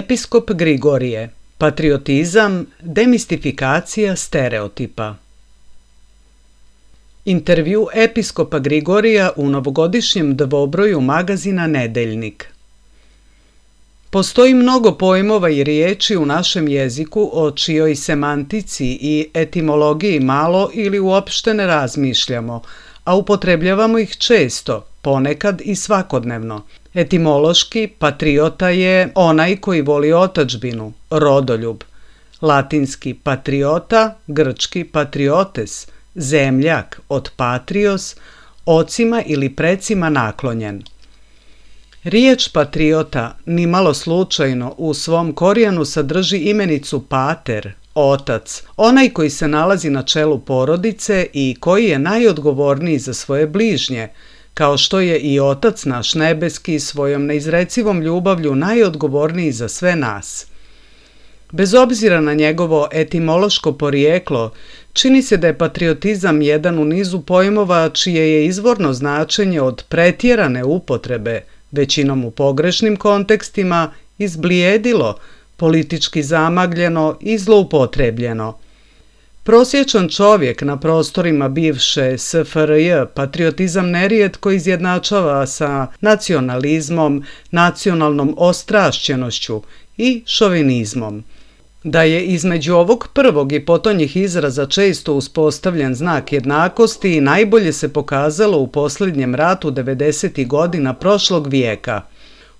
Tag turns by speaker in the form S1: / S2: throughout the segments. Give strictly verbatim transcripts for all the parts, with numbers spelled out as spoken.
S1: Episkop Grigorije. Patriotizam, demistifikacija stereotipa. Intervju episkopa Grigorija u novogodišnjem dvobroju magazina Nedeljnik. Postoji mnogo pojmova i riječi u našem jeziku o čijoj semantici i etimologiji malo ili uopšte ne razmišljamo, a upotrebljavamo ih često, ponekad i svakodnevno. Etimološki patriota je onaj koji voli otadžbinu, rodoljub. Latinski patriota, grčki patriotes, zemljak od patrios, ocima ili precima naklonjen. Riječ patriota nimalo slučajno u svom korijenu sadrži imenicu pater, otac, onaj koji se nalazi na čelu porodice i koji je najodgovorniji za svoje bližnje, kao što je i Otac naš nebeski svojom neizrecivom ljubavlju najodgovorniji za sve nas. Bez obzira na njegovo etimološko porijeklo, čini se da je patriotizam jedan u nizu pojmova čije je izvorno značenje od pretjerane upotrebe, većinom u pogrešnim kontekstima, izblijedilo, politički zamagljeno i zloupotrebljeno. Prosječan čovjek na prostorima bivše S F R J patriotizam nerijetko izjednačava sa nacionalizmom, nacionalnom ostrašćenošću i šovinizmom. Da je između ovog prvog i potonjih izraza često uspostavljen znak jednakosti najbolje se pokazalo u posljednjem ratu devedesetih godina prošlog vijeka.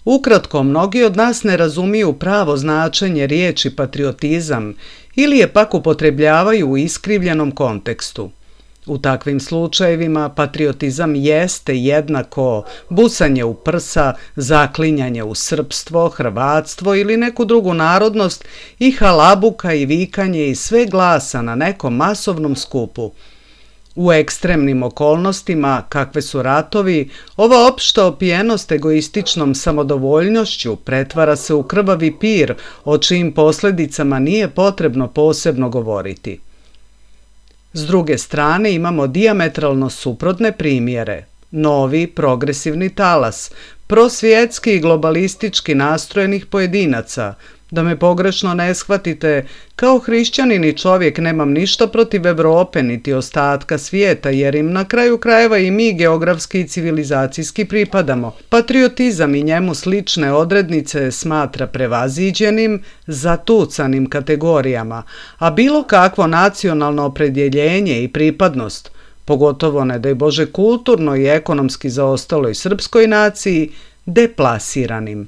S1: Ukratko, mnogi od nas ne razumiju pravo značenje riječi patriotizam ili je pak upotrebljavaju u iskrivljenom kontekstu. U takvim slučajevima patriotizam jeste jednako busanje u prsa, zaklinjanje u srpstvo, hrvatstvo ili neku drugu narodnost i halabuka i vikanje i sve glasa na nekom masovnom skupu. U ekstremnim okolnostima, kakve su ratovi, ova opšta opijenost egoističnom samodovoljnošću pretvara se u krvavi pir o čijim posljedicama nije potrebno posebno govoriti. S druge strane imamo dijametralno suprotne primjere. Novi progresivni talas, prosvjetski i globalistički nastrojenih pojedinaca. Da me pogrešno ne shvatite, kao hrišćanin i čovjek nemam ništa protiv Europe niti ostatka svijeta, jer im na kraju krajeva i mi geografski i civilizacijski pripadamo. Patriotizam i njemu slične odrednice smatra prevaziđenim, zatucanim kategorijama, a bilo kakvo nacionalno opredjeljenje i pripadnost, pogotovo ne daj Bože kulturno i ekonomski zaostaloj srpskoj naciji, deplasiranim.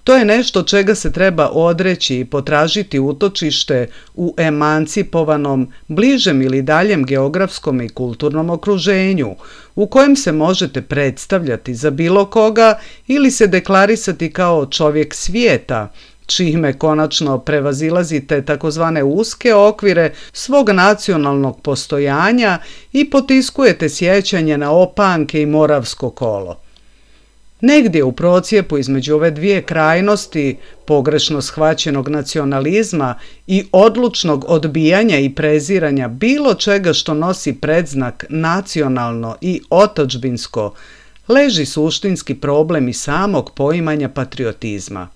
S1: To je nešto čega se treba odreći i potražiti utočište u emancipovanom, bližem ili daljem geografskom i kulturnom okruženju, u kojem se možete predstavljati za bilo koga ili se deklarisati kao čovjek svijeta, čime konačno prevazilazite takozvane uske okvire svog nacionalnog postojanja i potiskujete sjećanje na opanke i moravsko kolo. Negdje u procijepu između ove dvije krajnosti, pogrešno shvaćenog nacionalizma i odlučnog odbijanja i preziranja bilo čega što nosi predznak nacionalno i otadžbinsko, leži suštinski problem i samog poimanja patriotizma.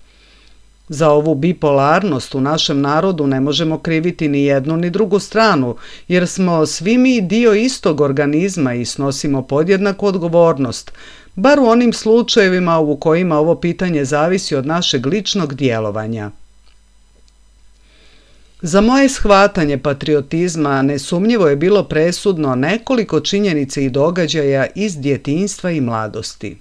S1: Za ovu bipolarnost u našem narodu ne možemo kriviti ni jednu ni drugu stranu, jer smo svi mi dio istog organizma i snosimo podjednaku odgovornost, bar u onim slučajevima u kojima ovo pitanje zavisi od našeg ličnog djelovanja. Za moje shvatanje patriotizma nesumnjivo je bilo presudno nekoliko činjenica i događaja iz djetinjstva i mladosti.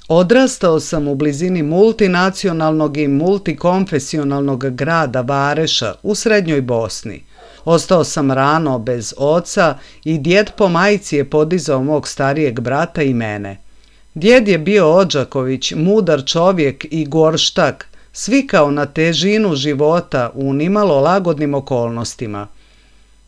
S1: Odrastao sam u blizini multinacionalnog i multikonfesionalnog grada Vareša u srednjoj Bosni. Ostao sam rano bez oca i djed po majci je podizao mog starijeg brata i mene. Djed je bio Odžaković, mudar čovjek i gorštak, svikao na težinu života u nimalo lagodnim okolnostima.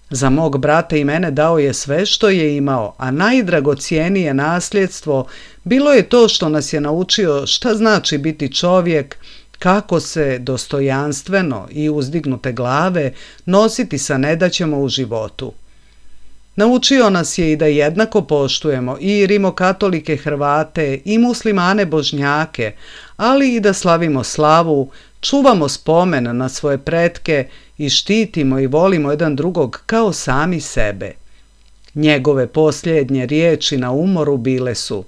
S1: Za mog brata i mene dao je sve što je imao, a najdragocijenije nasljedstvo bilo je to što nas je naučio šta znači biti čovjek, kako se dostojanstveno i uzdignute glave nositi sa nedaćama u životu. Naučio nas je i da jednako poštujemo i rimokatolike Hrvate i muslimane Božnjake, ali i da slavimo slavu, čuvamo spomen na svoje pretke i štitimo i volimo jedan drugog kao sami sebe. Njegove posljednje riječi na umoru bile su: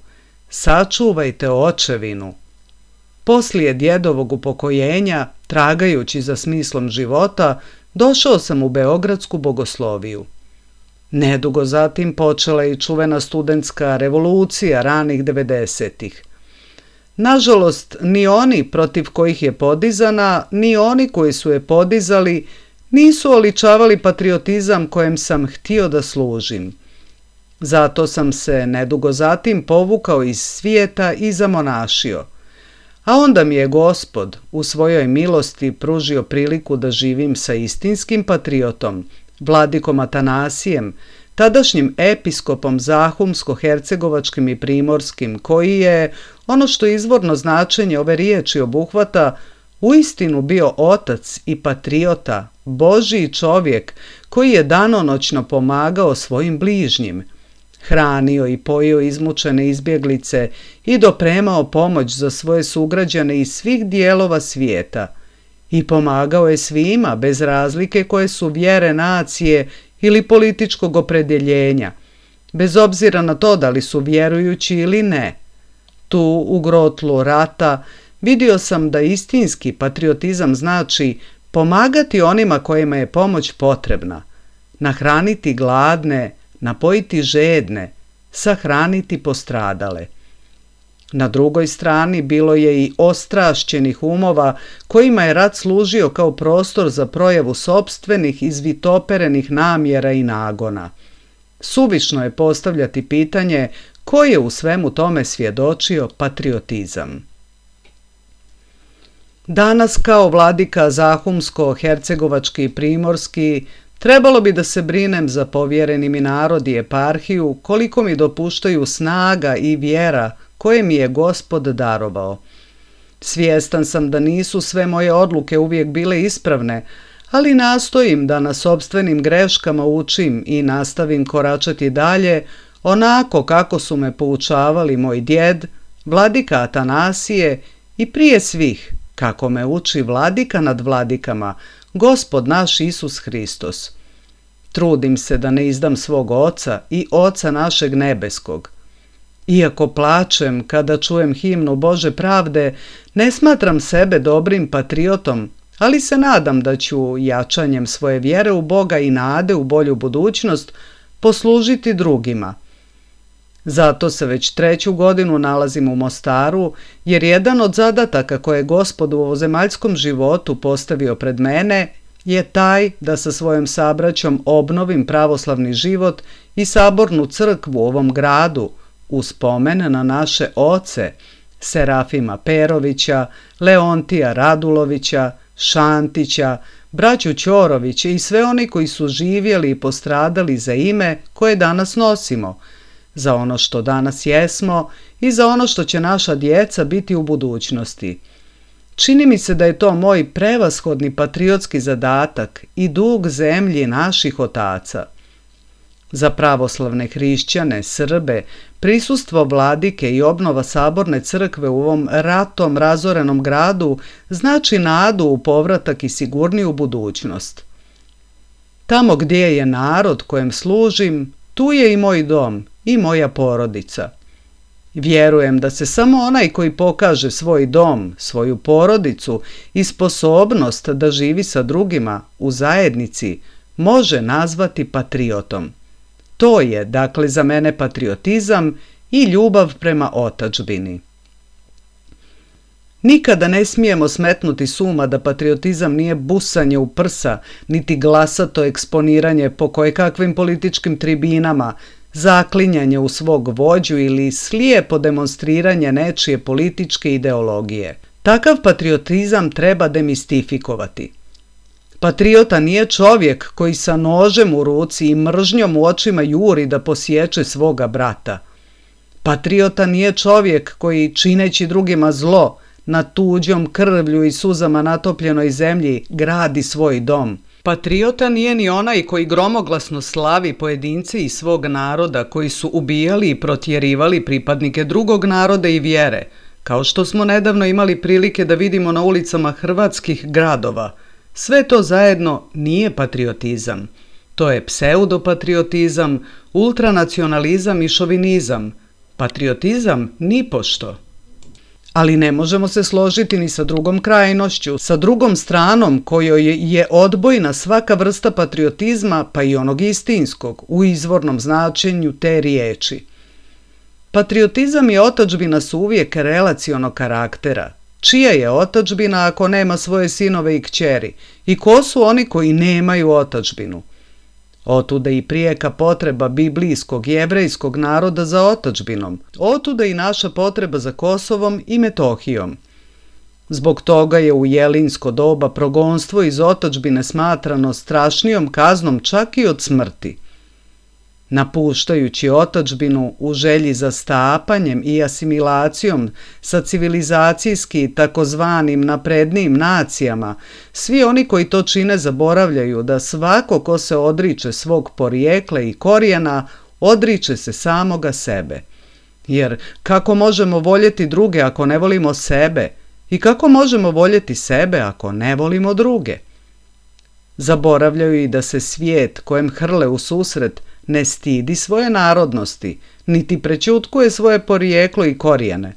S1: sačuvajte očevinu. Poslije djedovog upokojenja, tragajući za smislom života, došao sam u Beogradsku bogosloviju. Nedugo zatim počela je i čuvena studentska revolucija ranih devedesetih. Nažalost, ni oni protiv kojih je podizana, ni oni koji su je podizali, nisu oličavali patriotizam kojem sam htio da služim. Zato sam se nedugo zatim povukao iz svijeta i zamonašio. A onda mi je Gospod u svojoj milosti pružio priliku da živim sa istinskim patriotom, vladikom Atanasijem, tadašnjim episkopom Zahumsko-hercegovačkim i primorskim, koji je, ono što izvorno značenje ove riječi obuhvata, uistinu bio otac i patriota, Božji čovjek koji je danonoćno pomagao svojim bližnjim, hranio i pojio izmučene izbjeglice i dopremao pomoć za svoje sugrađane iz svih dijelova svijeta i pomagao je svima bez razlike koje su vjere, nacije ili političkog opredjeljenja, bez obzira na to da li su vjerujući ili ne. Tu, u grotlu rata, vidio sam da istinski patriotizam znači pomagati onima kojima je pomoć potrebna, nahraniti gladne, napojiti žedne, sahraniti postradale. Na drugoj strani bilo je i ostrašćenih umova kojima je rat služio kao prostor za projavu sopstvenih izvitoperenih namjera i nagona. Suvišno je postavljati pitanje ko je u svemu tome svjedočio patriotizam. Danas kao vladika Zahumsko-hercegovački i primorski trebalo bi da se brinem za povjereni mi narod i eparhiju koliko mi dopuštaju snaga i vjera koje mi je Gospod darovao. Svjestan sam da nisu sve moje odluke uvijek bile ispravne, ali nastojim da na sopstvenim greškama učim i nastavim koračati dalje onako kako su me poučavali moj djed, vladika Atanasije i prije svih kako me uči vladika nad vladikama, Gospod naš Isus Hristos. Trudim se da ne izdam svog Oca i Oca našeg nebeskog. Iako plačem kada čujem himnu Bože pravde, ne smatram sebe dobrim patriotom, ali se nadam da ću jačanjem svoje vjere u Boga i nade u bolju budućnost poslužiti drugima. Zato se već treću godinu nalazim u Mostaru, jer jedan od zadataka koje je Gospod u ovozemaljskom životu postavio pred mene je taj da sa svojom sabraćom obnovim pravoslavni život i sabornu crkvu u ovom gradu, u spomen na naše oce, Serafima Perovića, Leontija Radulovića, Šantića, braću Ćorovića i sve oni koji su živjeli i postradali za ime koje danas nosimo, za ono što danas jesmo i za ono što će naša djeca biti u budućnosti. Čini mi se da je to moj prevashodni patriotski zadatak i dug zemlji naših otaca. Za pravoslavne hrišćane, Srbe, prisustvo vladike i obnova saborne crkve u ovom ratom razorenom gradu znači nadu u povratak i sigurniju budućnost. Tamo gdje je narod kojem služim, tu je i moj dom i moja porodica. Vjerujem da se samo onaj koji pokaže svoj dom, svoju porodicu i sposobnost da živi sa drugima u zajednici može nazvati patriotom. To je, dakle, za mene patriotizam i ljubav prema otadžbini. Nikada ne smijemo smetnuti s uma da patriotizam nije busanje u prsa, niti glasato eksponiranje po kojekakvim političkim tribinama, zaklinjanje u svog vođu ili slijepo demonstriranje nečije političke ideologije. Takav patriotizam treba demistifikovati. Patriota nije čovjek koji sa nožem u ruci i mržnjom u očima juri da posječe svoga brata. Patriota nije čovjek koji, čineći drugima zlo, na tuđom krvlju i suzama natopljenoj zemlji gradi svoj dom. Patriota nije ni onaj koji gromoglasno slavi pojedince iz svog naroda koji su ubijali i protjerivali pripadnike drugog naroda i vjere, kao što smo nedavno imali prilike da vidimo na ulicama hrvatskih gradova. Sve to zajedno nije patriotizam. To je pseudopatriotizam, ultranacionalizam i šovinizam. Patriotizam nipošto. Ali ne možemo se složiti ni sa drugom krajnošću, sa drugom stranom kojoj je odbojna svaka vrsta patriotizma, pa i onog istinskog, u izvornom značenju te riječi. Patriotizam i otadžbina su uvijek relacionog karaktera. Čija je otadžbina ako nema svoje sinove i kćeri? I ko su oni koji nemaju otadžbinu? Otuda i prijeka potreba biblijskog jevrejskog naroda za otadžbinom. Otuda i naša potreba za Kosovom i Metohijom. Zbog toga je u jelinsko doba progonstvo iz otadžbine smatrano strašnijom kaznom čak i od smrti. Napuštajući otadžbinu u želji za stapanjem i asimilacijom sa civilizacijski takozvanim naprednijim nacijama, svi oni koji to čine zaboravljaju da svako ko se odriče svog porijekla i korijena, odriče se samoga sebe. Jer kako možemo voljeti druge ako ne volimo sebe? I kako možemo voljeti sebe ako ne volimo druge? Zaboravljaju i da se svijet kojem hrle u susret ne stidi svoje narodnosti, niti prećutkuje svoje porijeklo i korijene.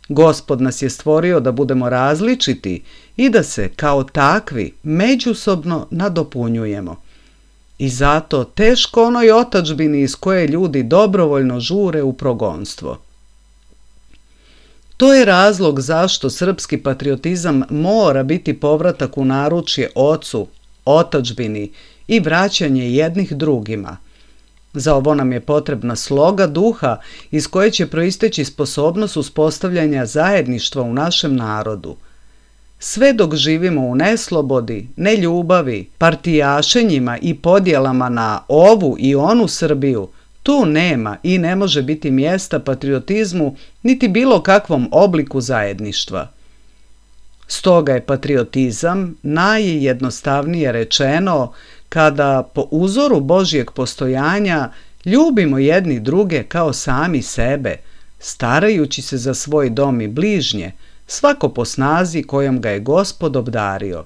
S1: Gospod nas je stvorio da budemo različiti i da se kao takvi međusobno nadopunjujemo. I zato teško onoj otadžbini iz koje ljudi dobrovoljno žure u progonstvo. To je razlog zašto srpski patriotizam mora biti povratak u naručje ocu, otadžbini i vraćanje jednih drugima. Za ovo nam je potrebna sloga duha iz koje će proisteći sposobnost uspostavljanja zajedništva u našem narodu. Sve dok živimo u neslobodi, neljubavi, partijašenjima i podjelama na ovu i onu Srbiju, tu nema i ne može biti mjesta patriotizmu niti bilo kakvom obliku zajedništva. Stoga je patriotizam, najjednostavnije rečeno, kada po uzoru Božjeg postojanja ljubimo jedni druge kao sami sebe, starajući se za svoj dom i bližnje, svako po snazi kojom ga je Gospod obdario.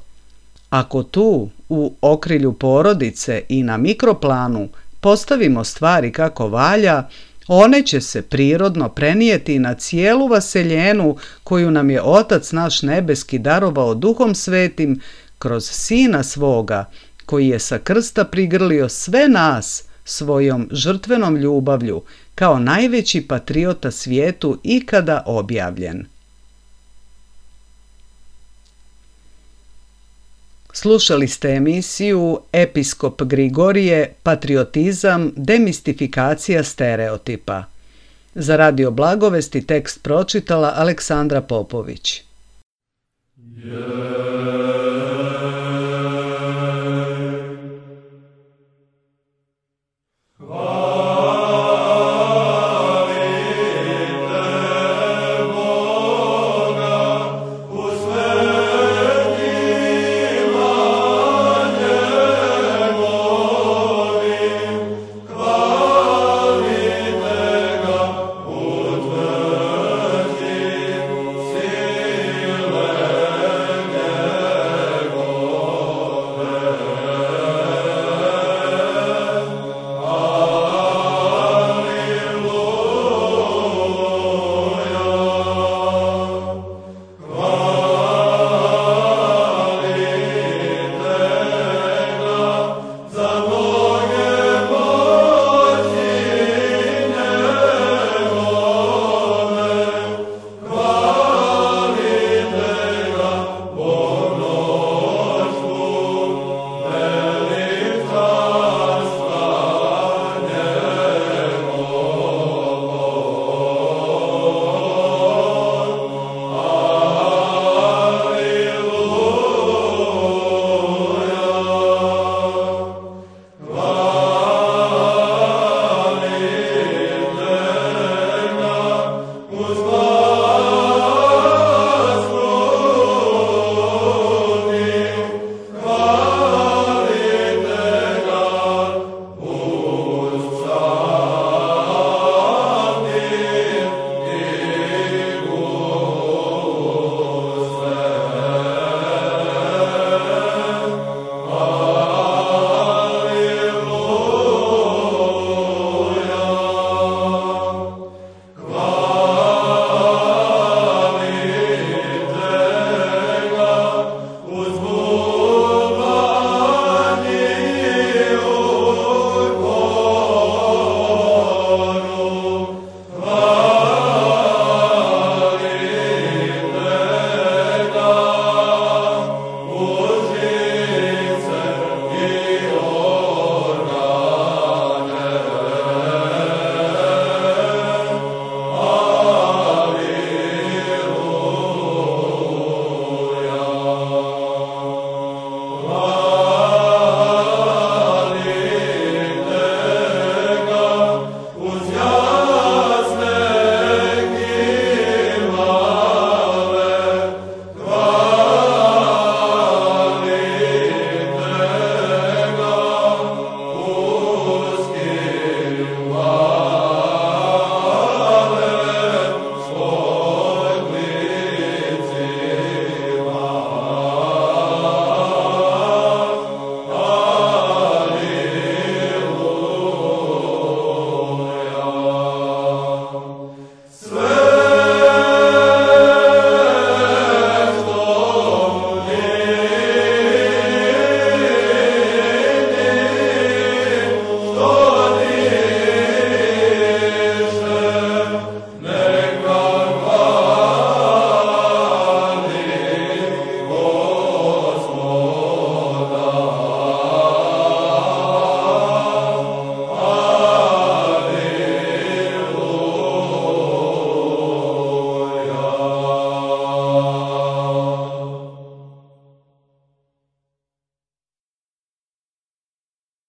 S1: Ako tu, u okrilju porodice i na mikroplanu, postavimo stvari kako valja, one će se prirodno prenijeti na cijelu vaseljenu koju nam je Otac naš nebeski darovao Duhom Svetim kroz Sina svoga, koji je sa krsta prigrlio sve nas svojom žrtvenom ljubavlju, kao najveći patriota svijetu ikada objavljen. Slušali ste emisiju Episkop Grigorije, patriotizam, demistifikacija stereotipa. Za Radio Blagovesti tekst pročitala Aleksandra Popović. Yeah.